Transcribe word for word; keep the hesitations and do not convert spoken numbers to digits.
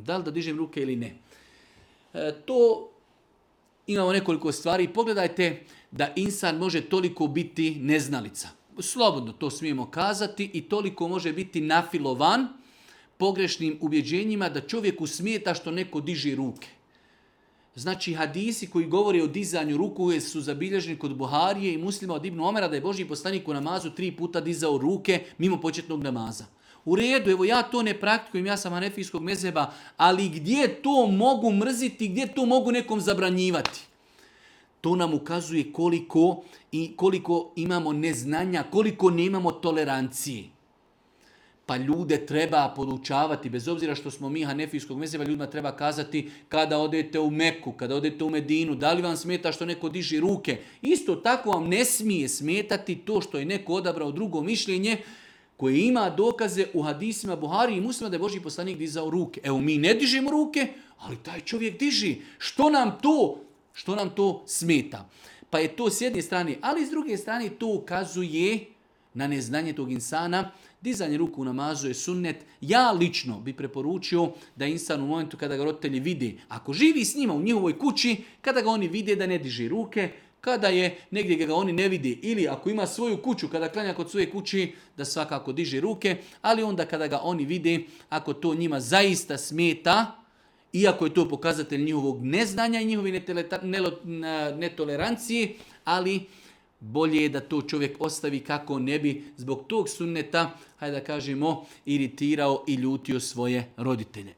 Da li da dižem ruke ili ne? E, to imamo nekoliko stvari. Pogledajte da insan može toliko biti neznalica. Slobodno to smijemo kazati i toliko može biti nafilovan pogrešnim ubjeđenjima da čovjeku smeta što neko diže ruke. Znači hadisi koji govore o dizanju ruku su zabilježeni kod Buharije i Muslima od Ibn Omera da je Božji poslanik u namazu tri puta dizao ruke mimo početnog namaza. U redu, evo ja to ne praktikujem, ja sam hanefijskog mezheba, ali gdje to mogu mrziti, gdje to mogu nekom zabranjivati? To nam ukazuje koliko, i koliko imamo neznanja, koliko nemamo tolerancije. Pa ljude treba podučavati, bez obzira što smo mi hanefijskog mezheba, ljudima treba kazati kada odete u Meku, kada odete u Medinu, da li vam smeta što neko diži ruke. Isto tako vam ne smije smetati to što je neko odabrao drugo mišljenje koje ima dokaze u hadisima Buhari i Muslima da je Božji poslanik dizao ruke. Evo mi ne dižemo ruke, ali taj čovjek diži. Što nam to, što nam to smeta? Pa je to s jedne strane, ali s druge strane to ukazuje na neznanje tog insana. Dizanje ruku u namazu je sunnet. Ja lično bi preporučio da insan u momentu kada ga roditelji vide, ako živi s njima u njihovoj kući, kada ga oni vide da ne diže ruke, kada je negdje ga oni ne vidi ili ako ima svoju kuću, kada klanja kod svoje kući, da svakako diže ruke, ali onda kada ga oni vide, ako to njima zaista smeta, iako je to pokazatelj njihovog neznanja i njihove netolerancije, ali bolje je da to čovjek ostavi kako ne bi zbog tog sunneta, hajde da kažemo, iritirao i ljutio svoje roditelje.